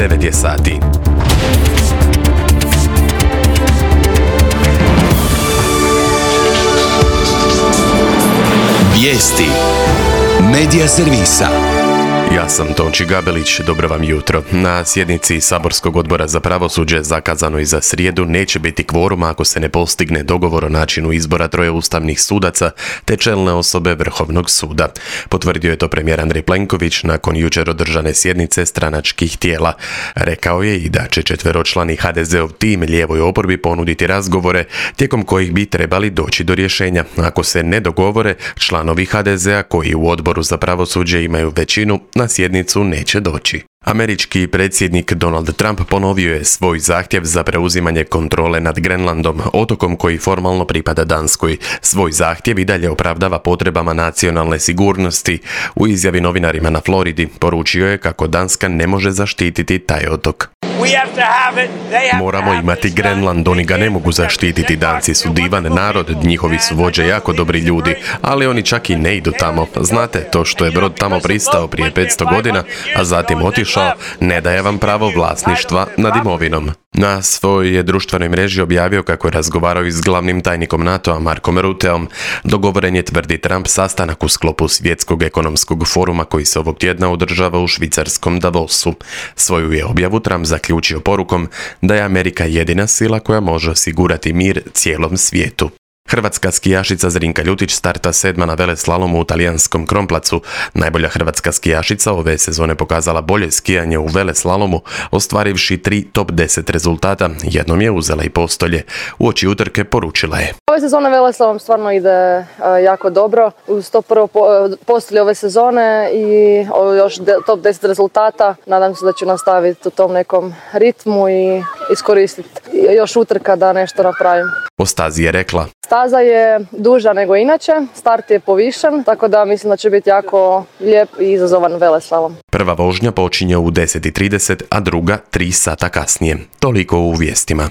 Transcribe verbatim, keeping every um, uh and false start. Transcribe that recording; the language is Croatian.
devet je sati. Vijesti Medija servisa. Ja sam Tonči Gabelić, dobro vam jutro. Na sjednici Saborskog odbora za pravosuđe, zakazano i za srijedu, neće biti kvoruma ako se ne postigne dogovor o načinu izbora troje ustavnih sudaca te čelne osobe Vrhovnog suda. Potvrdio je to premijer Andrej Plenković nakon jučer održane sjednice stranačkih tijela. Rekao je i da će četveročlani ha de zeov tim lijevoj oporbi ponuditi razgovore tijekom kojih bi trebali doći do rješenja. Ako se ne dogovore, članovi ha de zea koji u odboru za pravosuđe imaju većinu, na sjednicu neće doći. Američki predsjednik Donald Trump ponovio je svoj zahtjev za preuzimanje kontrole nad Grenlandom, otokom koji formalno pripada Danskoj. Svoj zahtjev i dalje opravdava potrebama nacionalne sigurnosti. U izjavi novinarima na Floridi poručio je kako Danska ne može zaštititi taj otok. Moramo imati Grenland, oni ga ne mogu zaštititi. Danci su divan narod, njihovi su vođe jako dobri ljudi, ali oni čak i ne idu tamo. Znate, to što je brod tamo pristao prije petsto godina, a zatim otišao, ne daje vam pravo vlasništva nad imovinom. Na svojoj je društvenoj mreži objavio kako je razgovarao i s glavnim tajnikom NATO-a Markom Rutteom. Dogovoren je, tvrdi Trump, sastanak u sklopu Svjetskog ekonomskog foruma koji se ovog tjedna održava u švicarskom Davosu. Svoju je objavu Trump zaključio porukom da je Amerika jedina sila koja može osigurati mir cijelom svijetu. Hrvatska skijašica Zrinka Ljutić starta sedma na veleslalomu u talijanskom Kronplacu. Najbolja hrvatska skijašica ove sezone pokazala bolje skijanje u veleslalomu, ostvarivši tri top deset rezultata. Jednom je uzela i postolje. Uoči utrke poručila je: Ove sezone veleslalom stvarno ide uh, jako dobro. Uz to prvo po, postolje ove sezone i uh, još de, top deset rezultata. Nadam se da ću nastaviti u tom nekom ritmu i iskoristiti još utrka da nešto napravim. O stazi je rekla: Staza je duža nego inače, start je povišen, tako da mislim da će biti jako lijep i izazovan veleslalom. Prva vožnja počinje u deset i trideset, a druga tri sata kasnije. Toliko u vijestima.